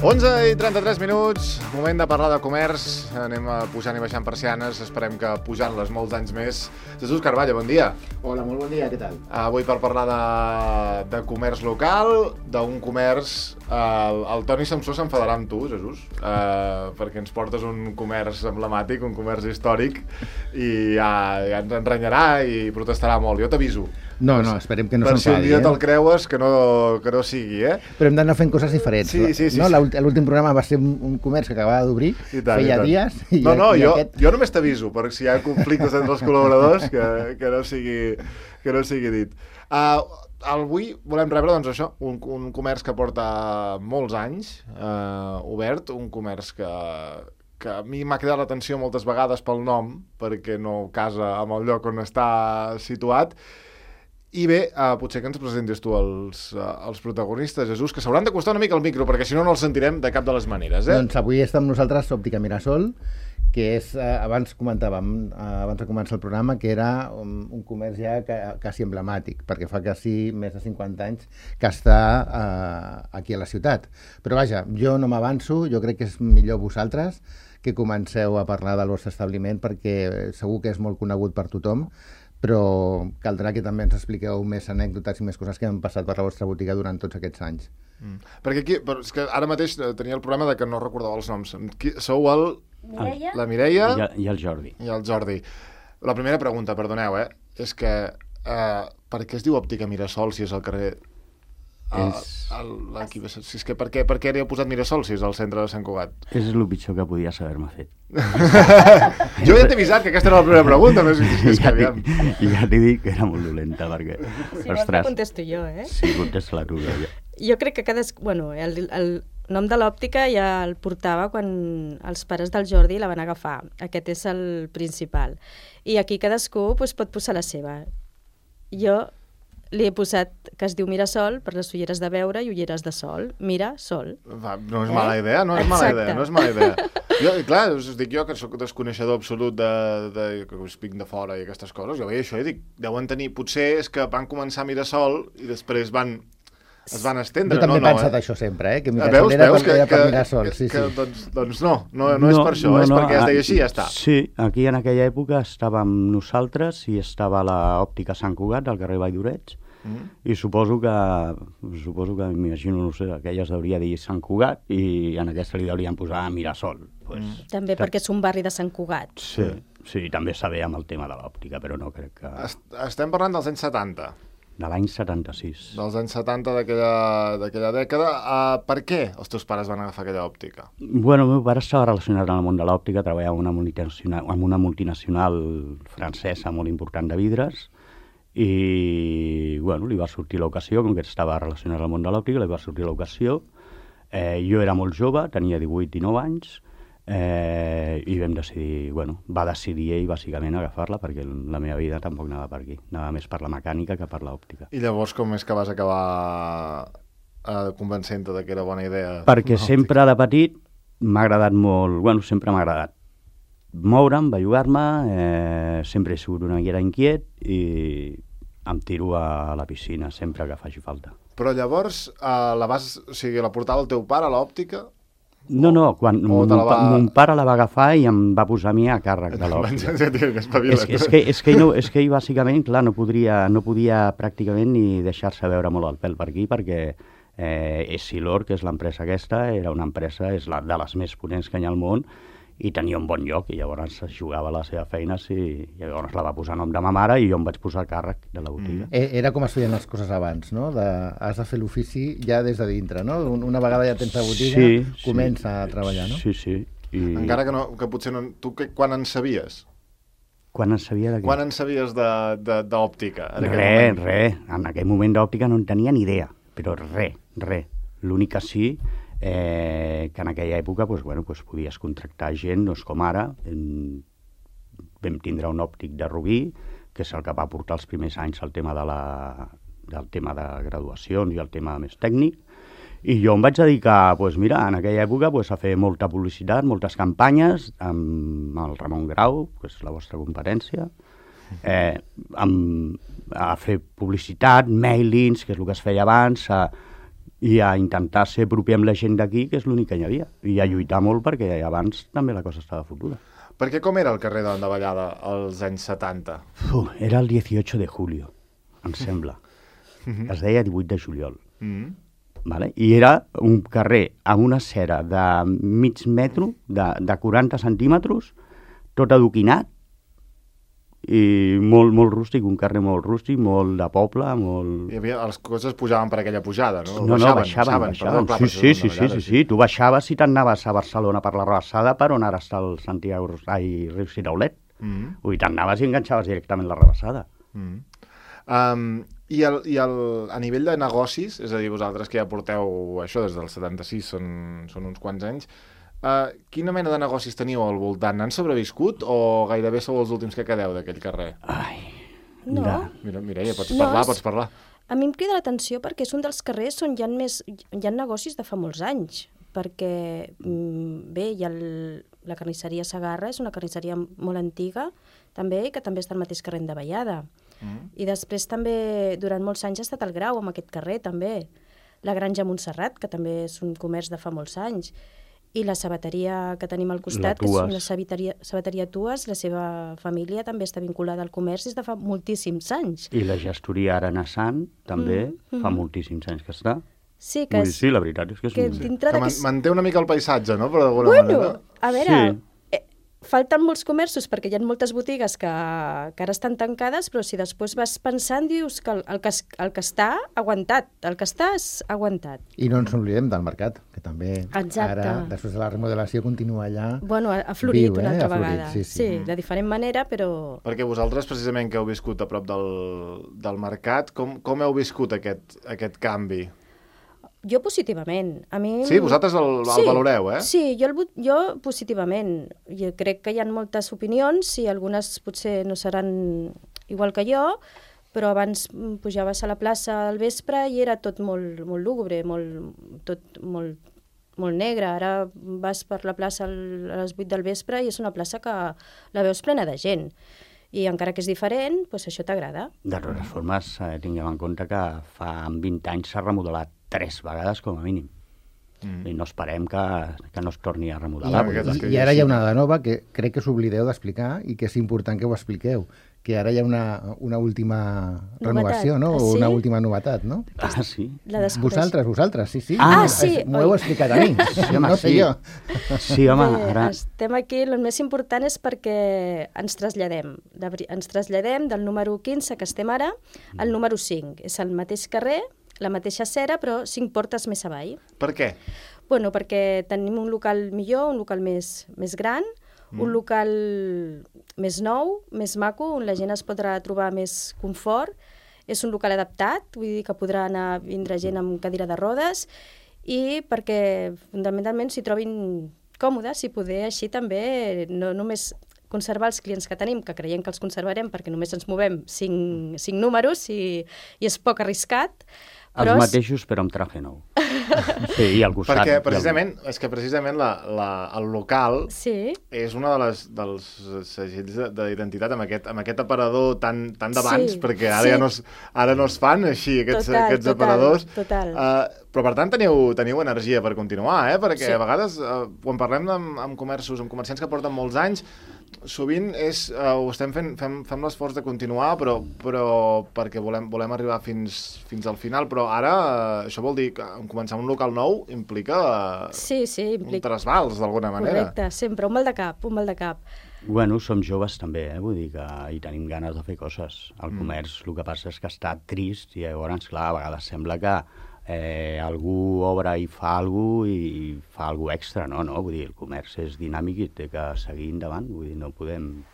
11:33, moment de parlar de comerç. Anem pujant i baixant persianes, esperem que pujant-les molts anys més. Jesús Carballo, bon dia. Hola, molt bon dia, què tal? Avui per parlar de comerç local, d'un comerç... El Toni Samsó s'enfadarà amb tu, Jesús, perquè ens portes un comerç emblemàtic, un comerç històric, i ja ens enrenyarà i protestarà molt. Jo t'aviso. No, esperem que no s'enfadi. Per si un dia te'l creues, que no sigui, Però hem d'anar fent coses diferents. Sí. No? L'últim programa va ser un comerç que acabava d'obrir, feia dies... Jo només t'aviso, per si hi ha conflictes entre els col·laboradors, que no sigui dit. Avui volem rebre, doncs, això, un comerç que porta molts anys obert, un comerç que a mi m'ha cridat l'atenció moltes vegades pel nom, perquè no casa amb el lloc on està situat. I bé, potser que ens presentis tu els protagonistes, Jesús, que s'hauran d'acostar una mica al micro, perquè si no els sentirem de cap de les maneres. Doncs avui està amb nosaltres Òptica Mirasol, que és, abans comentàvem, abans de començar el programa, que era un comerç ja quasi emblemàtic, perquè fa quasi més de 50 anys que està aquí a la ciutat. Però vaja, jo no m'avanço, jo crec que és millor vosaltres que comenceu a parlar del vostre establiment, perquè segur que és molt conegut per tothom, però caldrà que també ens expliqueu més anècdotes i més coses que han passat per la vostra botiga durant tots aquests anys. Perquè aquí, és que ara mateix tenia el problema de que no recordava els noms. Sou la Mireia i el Jordi. I el Jordi. La primera pregunta, perdoneu, és que per què es diu Òptica Mirasol si és al carrer... Si és que per què li heu posat Mirasol si és al centre de Sant Cugat? És el pitjor que podies haver-me fet. Jo ja t'he avisat que aquesta era la primera pregunta, però és que aviam. I ja t'he dit que era molt dolenta, perquè... Si no, la contesto jo, Sí, contesta-la tu. Jo crec que el nom de l'òptica ja el portava quan els pares del Jordi la van agafar. Aquest és el principal. I aquí cadascú pot posar la seva. Jo li he posat que es diu Mirasol per les ulleres de veure i ulleres de sol. Mirasol. No és mala idea, no és mala idea. Jo, clar, us dic jo que soc desconeixedor absolut que us vinc de fora i aquestes coses. Jo veia això i dic, deuen tenir... Potser és que van començar a Mirasol i després es van estendre. Jo també he pensat això sempre, que Mirasol era per Mirasol. Doncs no és per això, és perquè es deia així i ja està. Sí, aquí en aquella època estàvem nosaltres i estava l'òptica Sant Cugat, al carrer Vall d'Oreig, i suposo que m'imagino, no sé, aquelles hauria de dir Sant Cugat i en aquesta li haurien posar Mirasol. També perquè és un barri de Sant Cugat. Sí, també saber amb el tema de l'òptica, però no crec que... Estem parlant dels anys 70. De l'any 76. Dels anys 70 d'aquella dècada. Per què els teus pares van agafar aquella òptica? Bueno, el meu pare estava relacionat amb el món de l'òptica, treballava en una multinacional francesa molt important de vidres, i bueno, li va sortir l'ocasió, com que estava relacionat amb el món de l'òptica, li va sortir l'ocasió. Jo era molt jove, tenia 18-19 anys, i vam decidir, va decidir ell bàsicament agafar-la, perquè la meva vida tampoc anava per aquí, anava més per la mecànica que per l'òptica. I llavors com és que vas acabar convencent-te que era bona idea? Perquè sempre de petit m'ha agradat molt, sempre m'ha agradat moure'm, bellugar-me, sempre he sigut una miqueta inquiet i em tiro a la piscina sempre que faci falta. Però llavors la portava el teu pare a l'òptica? No, quan mon pare la va agafar i em va posar a mi a càrrec de l'òptica. És que ell bàsicament, clar, no podia pràcticament ni deixar-se veure molt el pèl per aquí, perquè Essilor, que és l'empresa aquesta, era una empresa, és de les més potents que hi ha al món, i tenia un bon lloc, i llavors jugava la seva feina, i llavors la va posar a nom de ma mare i jo em vaig posar a càrrec de la botiga. Era com es feien les coses abans, no? Has de fer l'ofici ja des de dintre, no? Una vegada ja tens la botiga, comença a treballar, no? Sí. Encara que potser no... Tu quan en sabies? Quan en sabia de què? Quan en sabies d'òptica? Res. En aquell moment d'òptica no en tenia ni idea, però res. L'únic que sí... que en aquella època podies contractar gent, no és com ara. Vam tindre un òptic de Rubí, que és el que va portar els primers anys el tema del tema de graduacions i el tema més tècnic, i jo em vaig dedicar en aquella època a fer molta publicitat, moltes campanyes amb el Ramon Grau, que és la vostra competència, a fer publicitat, mailings, que és el que es feia abans, i a intentar ser proper amb la gent d'aquí, que és l'únic que hi havia, i a lluitar molt perquè abans també la cosa estava fotuda. Perquè com era el carrer de Davallada als anys 70? Era el 18 de julio, em sembla. Es deia 18 de juliol. Vale? I era un carrer amb una cera de mig metro, de 40 centímetres, tot adoquinat, i molt rústic, un carrer molt rústic, molt de poble, molt... Els cotxes pujaven per aquella pujada, no? No, baixaven. Sí. Tu baixaves i t'anaves a Barcelona per la Rabassada, per on ara està el Riu Siraulet. Vull dir, t'anaves i enganxaves directament la Rabassada. I a nivell de negocis, és a dir, vosaltres que ja porteu això des del 76, són uns quants anys, quina mena de negocis teniu al voltant? Han sobreviscut o gairebé sou els últims que quedeu d'aquell carrer? Ai, no. Mira, Mireia, pots parlar. A mi em crida l'atenció perquè és un dels carrers on hi ha negocis de fa molts anys, perquè, bé, hi ha la carnisseria Segarra, és una carnisseria molt antiga, també, que també està al mateix carrer de Vallada. I després també, durant molts anys, ha estat el Grau, amb aquest carrer, també. La Granja Montserrat, que també és un comerç de fa molts anys. I la sabateria que tenim al costat, que és una sabateria Tues, la seva família també està vinculada al comerç des de fa moltíssims anys. I la gestoria Arenassant també fa moltíssims anys que està. Sí, que sí, la veritat és que és que manté una mica el paisatge, no?, però d'alguna manera. A veure, falten molts comerços perquè hi ha moltes botigues que ara estan tancades, però si després vas pensant dius que el que està aguantat, el que està és aguantat. I no ens oblidem del mercat, que també Exacte. Ara, després de la remodelació, continua allà. Bueno, ha florit una altra vegada. Sí, de diferent manera, però... Perquè vosaltres, precisament, que heu viscut a prop del mercat, com heu viscut aquest canvi? Jo positivament. A mi... Sí, vosaltres el valoreu, eh? Sí, jo positivament. Jo crec que hi ha moltes opinions i algunes potser no seran igual que jo, però abans pujaves a la plaça al vespre i era tot molt lúgubre, tot molt negre. Ara vas per la plaça a les 8 del vespre i és una plaça que la veus plena de gent. I encara que és diferent, doncs això t'agrada. De totes formes, tinguem en compte que fa 20 anys s'ha remodelat 3 vegades com a mínim. I no esperem que no es torni a remodelar. I ara hi ha una de nova que crec que s'oblideu d'explicar i que és important que ho expliqueu, que ara hi ha una última renovació, no? O una última novetat, no? Ah, sí? Vosaltres, sí. Sí. M'ho heu explicat a mi, no sé jo. Sí, home, ara... Estem aquí, el més important és perquè ens traslladem. Ens traslladem del número 15, que estem ara, al número 5. És el mateix carrer, la mateixa acera, però 5 portes més avall. Per què? Bueno, perquè tenim un local millor, un local més gran, un local més nou, més maco, on la gent es podrà trobar més confort. És un local adaptat, vull dir que podrà vindre gent amb cadira de rodes i perquè fundamentalment s'hi trobin còmodes i poder així també no només conservar els clients que tenim, que creiem que els conservarem perquè només ens movem 5 números i és poc arriscat. Els mateixos, però amb traje nou. Sí, i al costat. Perquè precisament el local és una dels segells d'identitat amb aquest aparador tan d'abans, perquè ara no es fan així aquests aparadors. Total. Però per tant teniu energia per continuar, perquè a vegades quan parlem amb comerciants que porten molts anys, sovint ho estem fem l'esforç de continuar, però perquè volem arribar fins al final, però ara això vol dir que començar un local nou implica un trasbals d'alguna manera. Correcte, sempre, un mal de cap. Bueno, som joves també, vull dir que hi tenim ganes de fer coses. El comerç, el que passa és que està trist i llavors, clar, a vegades sembla que algú obre i fa alguna extra, no? Vull dir, el comerç és dinàmic i té que seguir endavant, vull dir, no podem...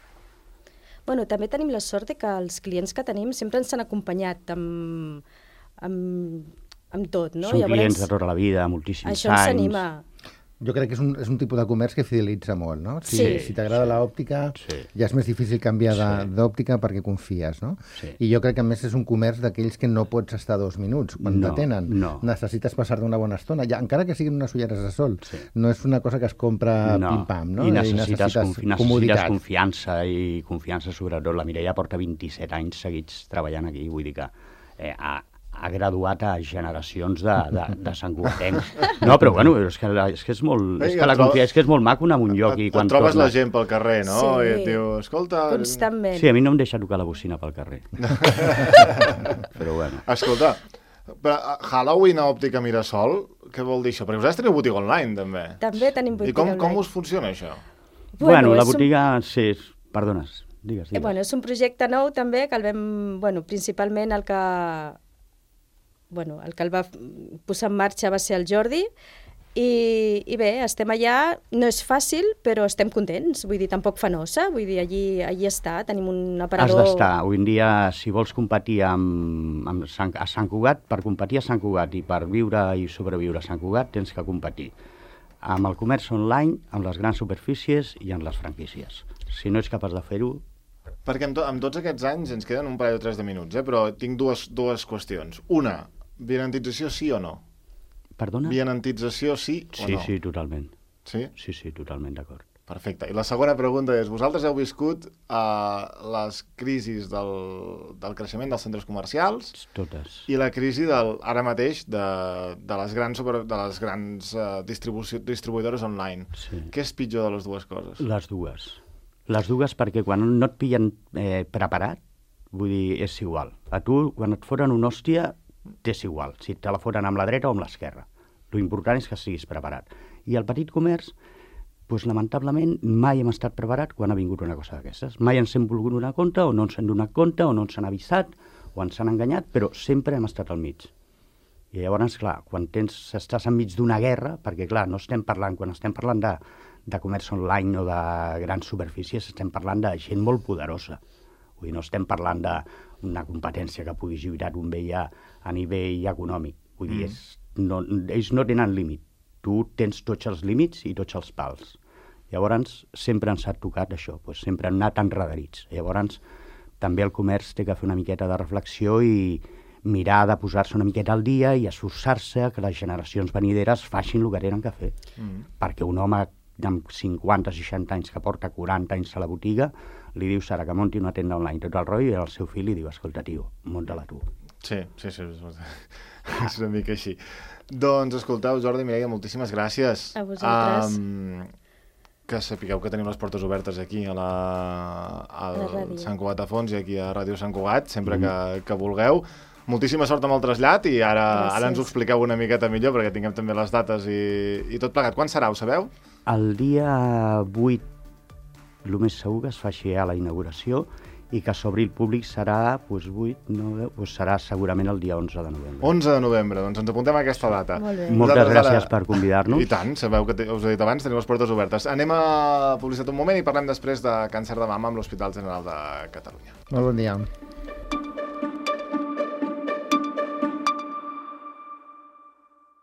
Bueno, també tenim la sort que els clients que tenim sempre ens han acompanyat amb tot, no? Són clients de tota la vida, moltíssims anys. Això ens anima. Jo crec que és un tipus de comerç que fidelitza molt, no? Si t'agrada l'òptica, ja és més difícil canviar d'òptica perquè confies, no? I jo crec que a més és un comerç d'aquells que no pots estar 2 minuts quan t'atenen. Necessites passar-te una bona estona, encara que siguin unes ulleres de sol. No és una cosa que es compra pim-pam, no? I necessites confiança, i confiança sobretot. La Mireia porta 27 anys seguits treballant aquí, vull dir que ha graduat a generacions de santcugatencs. No, però bueno, és que és molt... És que la confiança és que és molt maco anar a un lloc i quan et trobes tornes... la gent pel carrer, no? Sí. I et diu, escolta... Constantment. Sí, a mi no em deixa tocar la bocina pel carrer. Però bueno. Escolta, però Halloween a Òptica Mirasol, què vol dir això? Perquè vosaltres teniu botiga online, també. També tenim I botiga com online. us funciona, això? Bueno, la és un- botiga... Sí, perdones, digues. Bueno, és un projecte nou també que el vam, principalment el que el va posar en marxa va ser el Jordi i bé, estem allà, no és fàcil, però estem contents, vull dir, tampoc fa nosa, vull dir, allí està, tenim un Has aparador... d'estar. Avui en dia, si vols competir a Sant Cugat, per competir a Sant Cugat i per viure i sobreviure a Sant Cugat, tens que competir amb el comerç online, amb les grans superfícies i amb les franquícies. Si no ets capaç de fer-ho... Perquè amb tots aquests anys ens queden un parell o tres de minuts, però tinc dues qüestions. Una, vianantització sí o no? Perdona? Vianantització sí o Sí, no? sí, totalment. Sí? Sí, totalment d'acord. Perfecte. I la segona pregunta és, vosaltres heu viscut les crisis del creixement dels centres comercials Totes. i la crisi ara mateix de les grans distribuïdores online. Sí. Què és pitjor de les dues coses? Les dues. Les dues perquè quan no et pillen preparat, vull dir, és igual. A tu, quan et foren una hòstia, t'és igual, si te la foren amb la dreta o amb l'esquerra. Lo important és que siguis preparat. I el petit comerç, doncs, lamentablement, mai hem estat preparat quan ha vingut una cosa d'aquestes. Mai ens hem volgut donar compte, o no ens hem donat compte, o no ens han avisat, o ens han enganyat, però sempre hem estat al mig. I llavors, clar, quan estàs enmig d'una guerra, perquè, clar, no estem parlant, quan estem parlant de comerç online o de grans superfícies, estem parlant de gent molt poderosa. Vull dir, no estem parlant d'una competència que pugui girar un bé a nivell econòmic. Vull dir, ells no tenen límit. Tu tens tots els límits i tots els pals. Llavors, sempre ens ha tocat això, doncs sempre hem anat enredarits. Llavors, també el comerç té que fer una miqueta de reflexió i mirar de posar-se una miqueta al dia i esforçar-se que les generacions venideres facin el que tenen que fer. Perquè un home amb 50-60 anys que porta 40 anys a la botiga li diu Sara que munti una tenda online tot el rotllo i al seu fill li diu, escolta, tio, munta-la tu. Sí, és una mica així. Doncs escolteu, Jordi, Mireia, moltíssimes gràcies. A vosaltres. Que sapigueu que tenim les portes obertes aquí al ràdio. Sant Cugat de Fons i aquí a Ràdio Sant Cugat, sempre que vulgueu. Moltíssima sort amb el trasllat i ara ens ho expliqueu una miqueta millor perquè tinguem també les dates i tot plegat. Quan serà, ho sabeu? El dia 8, el més segur que es faci a la inauguració i que s'obri el públic serà, serà segurament el dia 11 de novembre. 11 de novembre, doncs ens apuntem a aquesta data. Molt bé. Moltes gràcies per convidar-nos. I tant, sabeu que us he dit abans, tenim les portes obertes. Anem a publicitat un moment i parlem després de càncer de mama amb l'Hospital General de Catalunya. Molt bon dia.